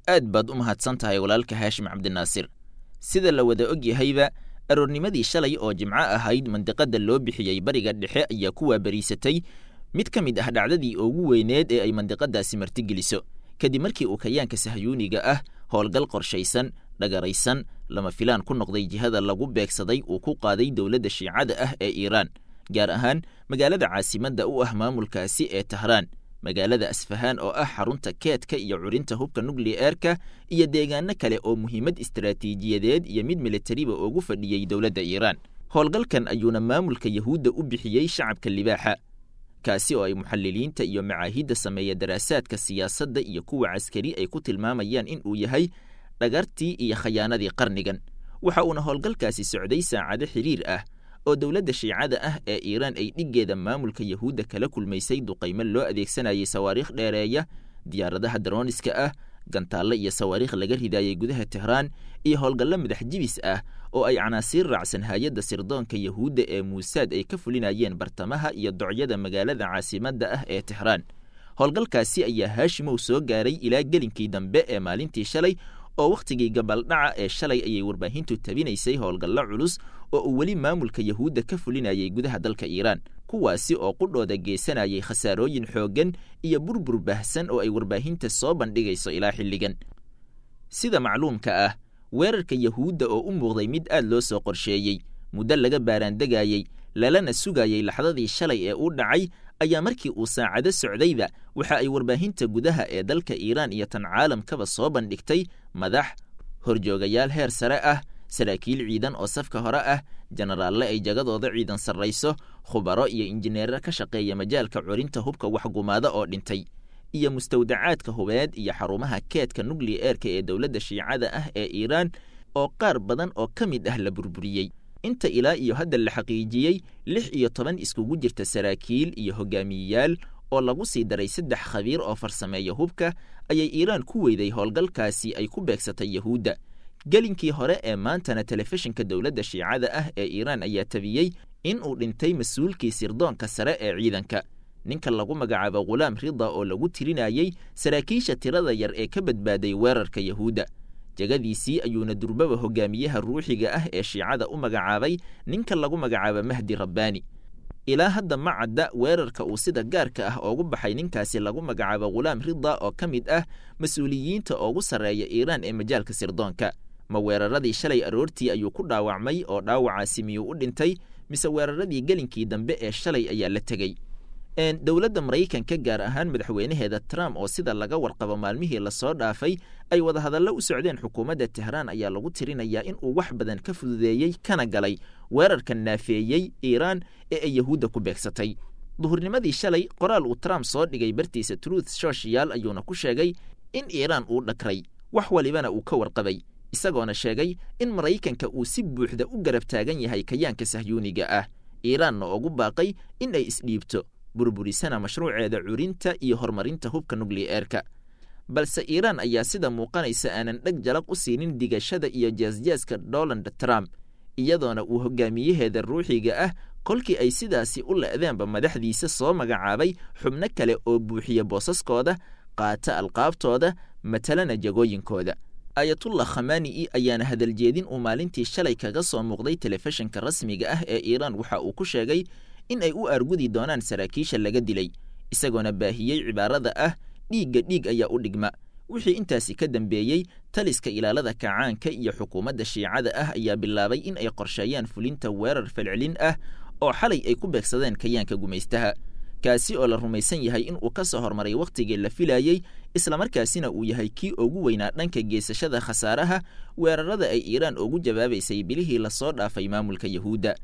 Aad baad u mahadsan tahay walaalka Haashim Cabdinaasir. Sida la wada og yahayba, aroornimadii shalay oo Jimco ahayd, mandiqada loo bixiyey Bariga Dhexe ayaa ku waabariisatay mid ka mid ah dhacdadii ugu weyneed ee ay mandiqadaasi martigeliso, kadib markii uu kayaanka sahyuuniga ah howlgal qorshaysan, dhagaraysan, lama filaan ku noqday jihada lagu beegsaday uu ku qaaday dowladda Shiicada ah ee Iiraan, gaar ahaan magaalada caasimadda u ah maamulkaasi ee Tahraan, magaalada Asfahaan oo ah xarunta keedka iyo curinta hubka nukliyeerka, iyo deegaano kale oo muhiimad istaraatiijiyadeed iyo mid militariba ugu fadhiyey dowladda Iiraan. Howlgalkan ayuuna maamulka Yahuudda u bixiyey Shacabka Libaaxa, kaasi oo ay muxaliliinta iyo macaahidda sameeya daraasaadka siyaasadda iyo kuwa caskari ay ku tilmaamayaan in uu yahay dhagartii iyo khayaanadii qarnigan. Waxa uuna howlgalkaasi socday saacado xiriir ah oo dowladda Shiicada ah ee Iiraan ay dhiggeeda maamulka Yahuudda kala kulmaysay duqaymo loo adeegsanayay sawaariikh dheereeya, diyaaradaha darooniska ah, gantaalle iyo sawaariikh laga ridaayey gudaha Tehraan, iyo howlgallo madax jibis ah oo ay canaasiir raacsan hay-adda sirdoonka Yahuudda ee Muusaad ay ka fulinayeen bartamaha iyo docyada magaalada caasimadda ah ee Tehraan. Howlgalkaasi ayaa, Haashimow, soo gaaray ilaa gelinkii dambe ee maalintii shalay, oo wakhtigii gabaldhaca ee shalay ayay warbaahintu tabinaysay howlgallo culus oo uu weli maamulka Yahuudda ka fulinayay gudaha dalka Iiraan, kuwaasi oo qudhooda geysanayay khasaarooyin xooggan iyo burbur baahsan oo ay warbaahinta soo bandhigayso ilaa xilligan. Sida macluumka ah, weerarka Yahuudda oo u muuqday mid aad loo soo qorsheeyey, muddo laga baaraandegayey, lalana sugayey laxdadii shalay ee uu dhacay, ayaa markii uu saacado socdayba waxa ay warbaahinta gudaha ee dalka Iiraan iyo tan caalamkaba soo bandhigtay madax, horjoogayaal heer sare ah, saraakiil ciidan oo safka hore ah, jenaraalle ay jagadooda ciidan sarrayso, khubaro iyo injineero ka shaqeeya majaalka curinta hubka waxgumaada oo dhintay, iyo mustawdacaadka hubeed iyo xarumaha keedka nukliyeerka ee dowladda Shiicada ah ee Iiraan oo qaar badan oo ka mid ah la burburiyey. Inta ilaa iyo hadda la xaqiijiyey, 16 iskugu jirta saraakiil iyo hogaamiyeyaal oo lagu sii daray 3 khabiir oo farsameeya hubka ayay Iiraan ku weyday howlgalkaasi ay ku beegsatay Yahuudda. Gelinkii hore ee maantana telefishinka dowladda Shiicada ah ee Iiraan ayaa tabiyey in uu dhintay mas-uulkii sirdoonka sare ee ciidanka, ninka lagu magacaabo Khulaam Rida, oo lagu tirinayey saraakiisha tirada yar ee ka badbaaday weerarka Yahuudda. Jagadiisii ayuuna durbaba hogaamiyaha ruuxiga ah ee Shiicada u magacaabay ninka lagu magacaabo Mahdi Rabbaani. Ilaa hadda ma cadda weerarka uu sida gaarka ah oogu baxay ninkaasi lagu magacaabo Khulaam Rida oo ka mid ah mas-uuliyiinta ugu sarreeya Iiraan ee majaalka sirdoonka. Ma weeraradii shalay aroortii ayuu ku dhaawacmay oo dhaawacaasi miyuu u dhintay, mise weeraradii gelinkii dambe ee shalay ayaa la tegey? Dowladda Maraykanka, gaar ahaan madaxweynaheeda Trump, oo sida laga warqabo maalmihii lasoo dhaafay ay wadahadallo u socdeen xukuumadda Tehraan, ayaa lagu tirinayaa in uu wax badan ka fududeeyey kana galay weerarka naafeeyey Iiraan ee ay Yahuudda ku beegsatay duhurnimadii shalay. Qoraal uu Trump soo dhigay bartiisa Truth Social ayuuna ku sheegay in Iiraan uu dhakray, wax walibana uu ka warqabay, isagoona sheegay in Maraykanka uu si buuxda u garab taagan yahay kayaanka sahyuuniga ah, Iiraanna ugu baaqay in ay isdhiibto, burburisana mashruuceeda curinta iyo horumarinta hubka nukliyeerka. Balse Iiraan ayaa sida muuqanaysa aanan dheg jalaq u siinin digashada iyo jeesjeeska Donald Trump, iyadoona uu hogaamiyaheeda ruuxiga ah kolkii ay sidaasi u le'deenba madaxdiisa soo magacaabay xubno kale oo buuxiya boosaskooda, qaata alqaabtooda, matalana jagooyinkooda. Ayatullah Khamani'i ayaana hadaljeedin uu maalintii shalay kaga soo muuqday telefishinka rasmiga ah ee Iiraan waxa uu ku sheegay in ay u aargudi doonaan saraakiisha laga dilay, isagoona baahiyey cibaarada ah "dhiigga dhiig ayaa u dhigma". Wixii intaasi ka dambeeyey, taliska ilaalada kacaanka iyo xukuumadda Shiicada ah ayaa bilaabay in ay qorsheeyaan fulinta weerar falcelin ah oo xalay ay ku beegsadeen kayaanka gumaystaha, kaasi oo la rumaysan yahay in uu ka soo hormaray wakhtigii la filayey, islamarkaasina uu yahay kii ugu weynaa dhanka geesashada khasaaraha weerarada ay Iiraan ugu jawaabaysay bilihii lasoo dhaafay maamulka Yahuudda.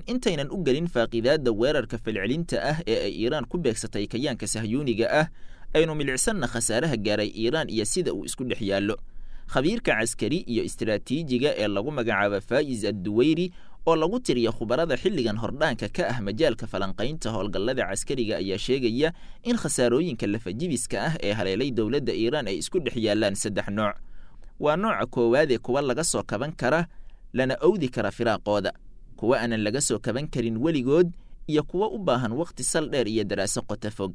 Intaynan u gelin faaqidaadda weerarka falcelinta ah ee ay Iiraan ku beegsatay kayaanka sahyuuniga ah, aynu milicsanna khasaaraha gaaray Iiraan iyo sida uu isku dhex yaallo. Khabiirka caskari iyo istiraatiijiga ee lagu magacaabo Faa'is Adduweyri, oo lagu tiriyo khubarada xilligan hordhaanka ka ah majaalka falanqaynta howlgallada caskariga, ayaa sheegaya in khasaarooyinka lafajibiska ah ee haleelay dowladda Iiraan ay isku dhex yaallaan saddex nooc. Waa nooca koowaadee kuwa laga soo kaban kara lana owdi kara firaaqooda, kuwa aanan laga soo kaban karin weligood, iyo kuwa u baahan wakhti sal dheer iyo daraaso qoto fog.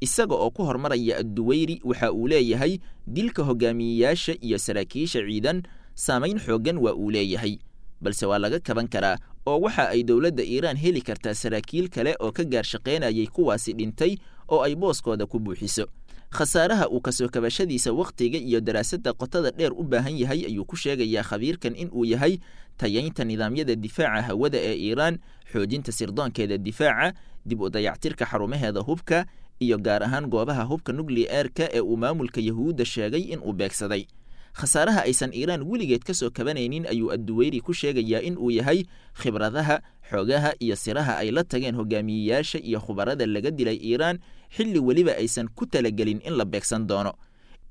Isaga oo ku hormaraya Adduweyri, waxa uu leeyahay dilka hogaamiyeyaasha iyo saraakiisha ciidan saamayn xooggan waa uu leeyahay, balse waa laga kaban karaa oo waxa ay dowladda Iiraan heli kartaa saraakiil kale oo ka gaar shaqaynayay kuwaasi dhintay oo ay booskooda ku buuxiso. Khasaaraha uu kasoo kabashadiisa wakhtiga iyo daraasadda qotada dheer u baahan yahay ayuu ku sheegayaa khabiirkan in uu yahay tayaynta nidaamyada difaaca hawada ee Iiraan, xoojinta sirdoonkeeda difaaca, dib u dayactirka xarumaheeda hubka iyo gaar ahaan goobaha hubka nukliyeerka ee uu maamulka Yahuudda sheegay in uu beegsaday. Khasaaraha aysan Iiraan weligeed ka soo kabanaynin ayuu Adduweyri ku sheegayaa in uu yahay khibradaha, xoogaha iyo siraha ay la tageen hogaamiyeyaasha iyo khubarada laga dilay Iiraan xilli weliba aysan ku talagelin in la beegsan doono.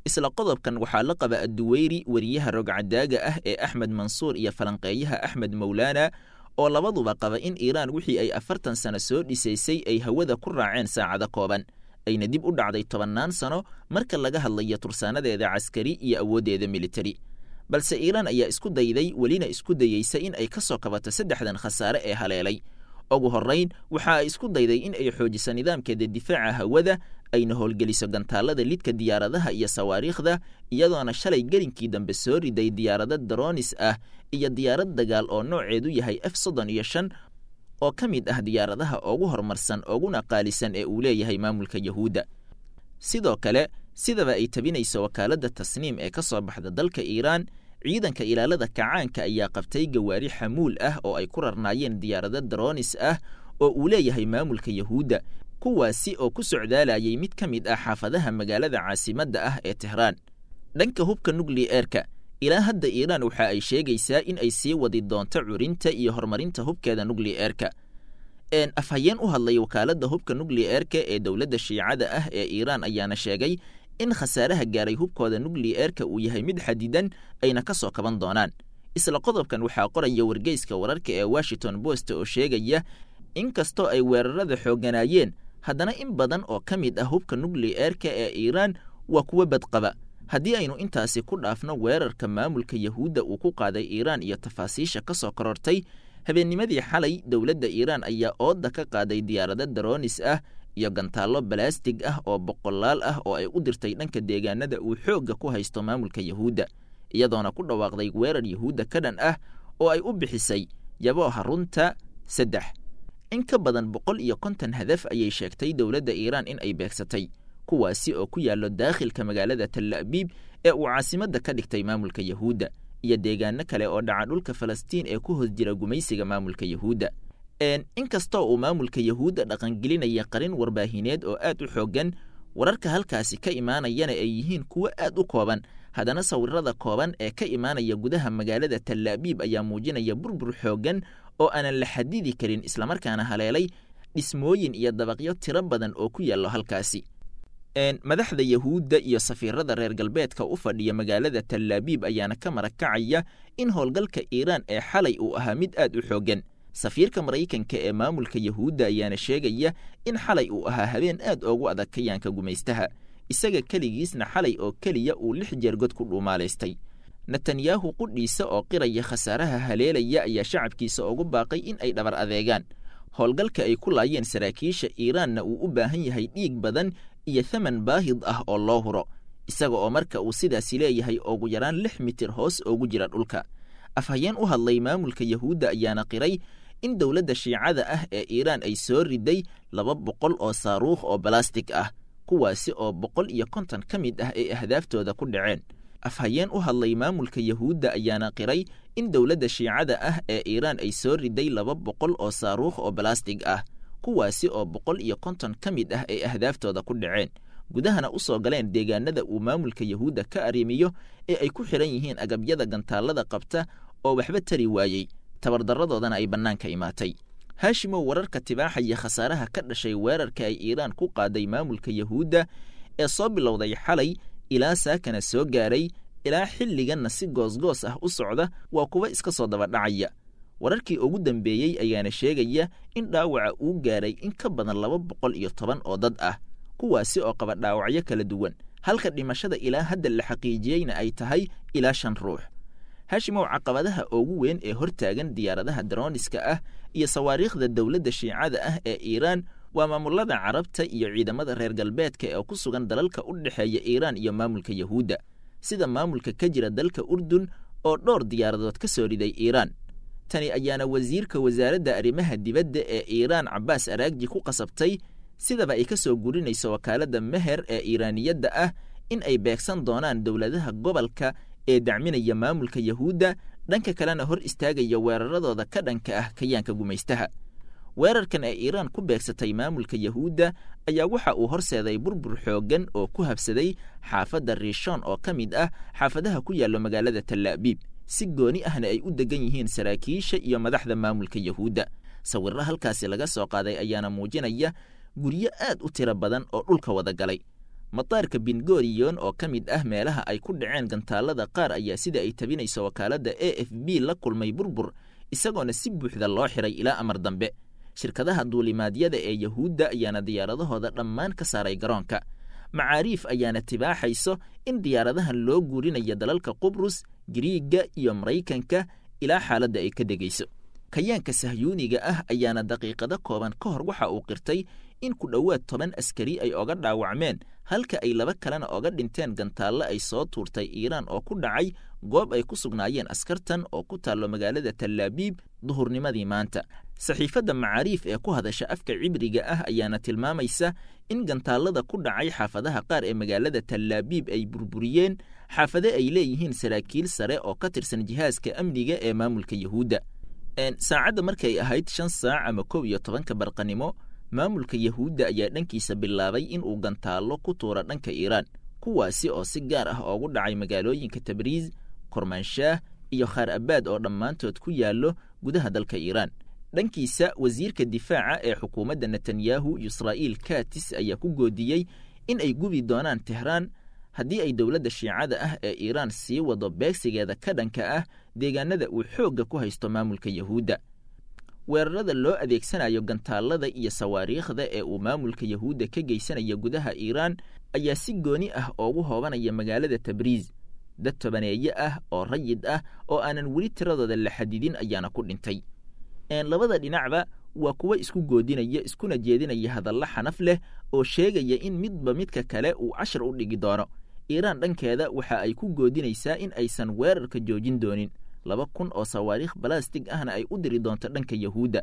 Isla qodobkan waxaa la qaba Adduweyri weriyaha rogcadaaga ah ee Axmed Mansuur iyo falanqeeyaha Axmed Mowlaana, oo labaduba qaba in Iiraan wixii ay 40 sano soo dhisaysay ay hawada ku raaceen saacado kooban, ayna dib u dhacday 10naan sano marka laga hadlayo tursaanadeeda caskari iyo awooddeeda militari. Balse Iiraan ayaa isku dayday, welina isku dayeysa in ay ka soo kabato saddexdan khasaare ee haleelay. Ugu horrayn, waxa ay isku dayday in ay xoojiso nidaamkeeda difaaca hawada, ayna howlgeliso gantaalada lidka diyaaradaha iyo sawaariikhda, iyadoona shalay gelinkii dambe soo riday diyaarado dronis ah iyo diyaarad dagaal oo nooceedu yahay F 35 oo ka mid ah diyaaradaha ugu horumarsan uguna qaalisan ee uu leeyahay maamulka Yahuudda. Sidoo kale, sidaba ay tabinayso wakaaladda Tasniim ee ka soo baxda dalka Iiraan, ciidanka ilaalada kacaanka ayaa qabtay gawaari xamuul ah oo ay ku rarnaayeen diyaarado dronis ah oo uu leeyahay maamulka Yahuudda, kuwaasi oo ku socdaalayay mid ka mid ah xaafadaha magaalada caasimadda ah ee Tehraan. Dhanka hubka nukliyeerka, ilaa hadda Iiraan waxa ay sheegaysaa in ay sii wadi doonto curinta iyo horumarinta hubkeeda nukliyeerka. Afhayeen u hadlay wakaaladda hubka nukliyeerka ee dowladda Shiicada ah ee Iiraan ayaana sheegay in khasaaraha gaaray hubkooda nukliyeerka uu yahay mid xadidan, ayna ka soo kaban doonaan. Isla qodobkan waxaa qoraya wargeyska wararka ee Washington Post oo sheegaya inkastoo ay weerarada xoogganaayeen, haddana in badan oo ka mid ah hubka nukliyeerka ee Iiraan waa kuwo badqaba. Haddii aynu intaasi ku dhaafno weerarka maamulka Yahuudda uu ku qaaday Iiraan iyo tafaasiisha ka soo korortay habeennimadii xalay, dowladda Iiraan ayaa ooda ka qaaday diyaarado dronis ah iyo gantaallo balaastig ah oo boqolaal ah oo ay u dirtay dhanka deegaanada uu xoogga ku haysto maamulka Yahuudda, iyadoona ku dhawaaqday weerar Yahuudda ka dhan ah oo ay u bixisay Yabooha Runta 3. In ka badan 150 hadaf ayay sheegtay dowladda Iiraan in ay beegsatay, kuwaasi oo ku yaallo daakhilka magaalada Tal Abiib ee uu caasimadda ka dhigtay maamulka Yahuudda iyo deegaano kale oo dhaca dhulka Falastiin ee ku hoos jira gumaysiga maamulka Yahuudda. Inkastoo uu maamulka Yahuudda dhaqangelinaya qarin warbaahineed oo aad u xooggan, wararka halkaasi ka imaanayana ay yihiin kuwo aad u kooban, haddana sawirada kooban ee ka imaanaya gudaha magaalada Tal Abiib ayaa muujinaya burbur xooggan oo aanan la xadidi karin, islamarkaana haleelay dhismooyin iyo dabaqyo tiro badan oo ku yaallo halkaasi. Madaxda Yahuudda iyo safiirada reer galbeedka u fadhiya magaalada Tal Abiib ayaana ka marakacaya in howlgalka Iiraan ee xalay uu ahaa mid aad u xooggan. Safiirka Maraykanka ee maamulka Yahuudda ayaana sheegaya in xalay uu ahaa habeen aad ugu adag kayaanka gumaystaha, isaga keligiisna xalay oo keliya uu 6 jeer god ku dhuumaalaystay. Netanyahu qudhiisa oo qiraya khasaaraha haleelaya ayaa shacabkiisa ugu baaqay in ay dhabar adeegaan, howlgalka ay ku laayeen saraakiisha Iiraanna uu u baahan yahay dhiig badan iyo thaman baahid ah oo loo huro, isaga oo marka uu sidaasi leeyahay ugu yaraan 6 mitir hoos ugu jira dhulka. Afhayeen u hadlay maamulka Yahuudda ayaana qiray in dowladda Shiicada ah ee Iiraan ay soo riday 200 oo saaruukh oo balastig ah, kuwaasi oo 150 ka mid ah ay ahdaaftooda ku dhaceen. Afhayeen u hadlay maamulka Yahuudda ayaana qiray in dowladda Shiicada ah ee Iiraan ay soo riday 200 oo saaruukh oo balastig ah, kuwaasi oo 150 ka mid ah ay ahdaaftooda ku dhaceen, gudahana u soo galeen deegaanada uu maamulka Yahuudda ka arrimiyo ee ay ku xidhan yihiin agabyada gantaalada qabta oo waxba tari waayey, tabardarradoodana ay bannaanka imaatay. Haashimow, wararka tibaaxaya khasaaraha ka dhashay weerarka ay Iiraan ku qaaday maamulka Yahuudda ee soo bilowday xalay ilaa saakana soo gaaray ilaa xilliganna si goosgoos ah u socda waa kuwa iska soo daba dhacaya. Wararkii ugu dambeeyey ayaana sheegaya in dhaawaca uu gaaray in ka badan 210 oo dad ah, kuwaasi oo qaba dhaawacyo kala duwan, halka dhimashada ilaa hadda la xaqiijiyeyna ay tahay ilaa 5 ruux. Haashimow, caqabadaha ugu weyn ee hortaagan diyaaradaha droniska ah iyo sawaariikhda dowladda Shiicada ah ee Iiraan Waa maamulada Carabta iyo ciidamada reer galbeedka ee ku sugan dalalka u dhexeeya Iiraan iyo maamulka Yahuudda, sida maamulka ka jira dalka Urdun oo dhowr diyaaradood ka soo riday Iiraan. Tani ayaana wasiirka wasaaradda arrimaha dibadda ee Iiraan Cabbaas Araagji ku qasabtay, sidaba ay ka soo gurinayso wakaaladda Meher ee Iiraaniyadda ah, in ay beegsan doonaan dowladaha gobolka ee dacminaya maamulka Yahuudda, dhanka kalena hor istaagaya weeraradooda ka dhanka ah kayaanka gumaystaha. Weerarkan ee Iiraan ku beegsatay maamulka Yahuudda ayaa waxa uu horseeday burbur xooggan oo ku habsaday xaafadda Rishon oo ka mid ah xaafadaha ku yaallo magaalada Talaabiib, si gooni ahna ay u degan yihiin saraakiisha iyo madaxda maamulka Yahuudda. Sawirro halkaasi laga soo qaaday ayaana muujinaya guryo aad u tiro badan oo dhulka wada galay. Mataarka Bingoriyon oo ka mid ah meelaha ay ku dhaceen gantaalada qaar ayaa, sida ay tabinayso wakaaladda AFP, la kulmay burbur, isagoona si buuxda loo xiray ilaa amar dambe. Shirkadaha duulimaadyada ee Yahuudda ayaana diyaaradahooda dhammaan ka saaray garoonka. Macaariif ayaana tibaaxayso in diyaaradahan loo guurinayo dalalka Qubrus, Giriigga iyo Maraykanka ilaa xaaladda ay ka degayso. Kayaanka sahyuuniga ah ayaana daqiiqado kooban ka hor waxa uu qirtay in ku dhowaad 10 askari ay oga dhaawacmeen, halka ay 2 kalena oga dhinteen gantaallo ay soo tuurtay Iiraan oo ku dhacay goob ay ku sugnaayeen askartan oo ku taallo magaalada Talaabiib duhurnimadii maanta. Saxiifadda Macaariif ee ku hadasha afka Cibriga ah ayaana tilmaamaysa in gantaallada ku dhacay xaafadaha qaar ee magaalada Talaabiib ay burburiyeen xaafade ay leeyihiin saraakiil sare oo ka tirsan jihaaska amniga ee maamulka Yahuudda. Saacadda markay ahayd 5 saac ama 11-ka barqanimo, maamulka Yahuudda ayaa dhankiisa bilaabay in uu gantaallo ku tuuro dhanka Iiraan, kuwaasi oo si gaar ah oogu dhacay magaalooyinka Tabriis, Kormaanshaah iyo Khaar Abaad oo dhammaantood ku yaallo gudaha dalka Iiraan. Dhankiisa, wasiirka difaaca ee xukuumadda Netanyahu Yisraa'il Katis ayaa ku goodiyey in ay gubi doonaan Tehraan haddii ay dowladda Shiicada ah ee Iiraan sii wado beegsigeeda ka dhanka ah deegaanada uu xoogga ku haysto maamulka Yahuudda. Weerarada loo adeegsanayo gantaallada iyo sawaariikhda ee uu maamulka Yahuudda ka geysanayo gudaha Iiraan ayaa si gooni ah oogu hoobanaya magaalada Tabriis. Dad tobaneeye ah oo rayid ah oo aanan weli tiradooda la xadidin ayaana ku dhintay. Labada dhinacba waa kuwo isku goodinaya iskuna jeedinaya hadallo xanaf leh oo sheegaya in midba midka kale uu cashar u dhigi doono. Iiraan dhankeeda waxa ay ku goodinaysaa in aysan weerarka joojin doonin, 2000 oo sawaariikh balastig ahna ay u diri doonto dhanka Yahuudda.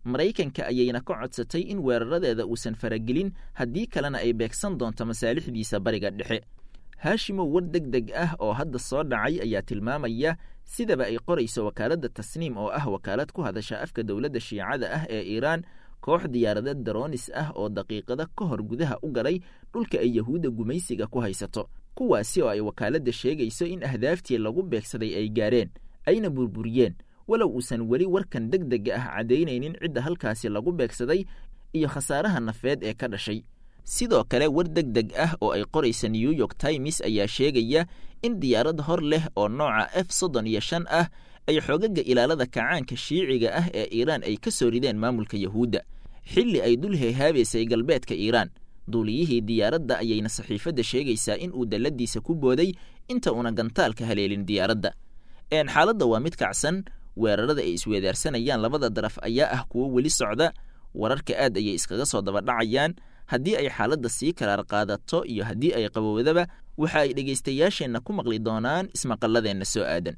Maraykanka ayayna ka codsatay in weeraradeeda uusan faragelin, haddii kalena ay beegsan doonto masaalixdiisa Bariga Dhexe. Haashimow, war deg deg ah oo hadda soo dhacay ayaa tilmaamaya, sidaba ay qorayso wakaaladda Tasniim oo ah wakaalad ku hadasha afka dowladda Shiicada ah ee Iiraan, koox diyaarada daroonis ah oo daqiiqado ka hor gudaha u galay dhulka ay Yahuudda gumaysiga ku haysato, kuwaasi oo ay wakaaladda sheegayso in ahdaaftii lagu beegsaday ay gaareen ayna burburiyeen, walow uusan weli warkan deg dega ah caddaynaynin cidda halkaasi lagu beegsaday iyo khasaaraha nafeed ee ka dhashay. Sidoo kale, war deg deg ah oo ay qoraysa New York Times ayaa sheegaya in diyaarad hor leh oo nooca F 35 ah ay xoogaga ilaalada kacaanka Shiiciga ah ee Iiraan ay ka soo rideen maamulka Yahuudda xilli ay dul heehaabaysay galbeedka Iiraan. Duuliyihii diyaaradda ayayna saxiifadda sheegaysaa in uu dalladiisa ku booday inta una gantaalka haleelin diyaaradda. Xaaladda waa mid kacsan. Weerarada ay isweedaarsanayaan labada daraf ayaa ah kuwo weli socda. Wararka aad ayay iskaga soo daba dhacayaan. Haddii ay xaaladda sii karaar qaadato iyo haddii ay qabowdaba, waxa ay dhegaystayaasheenna ku maqli doonaan ismaqalladeenna soo aadan.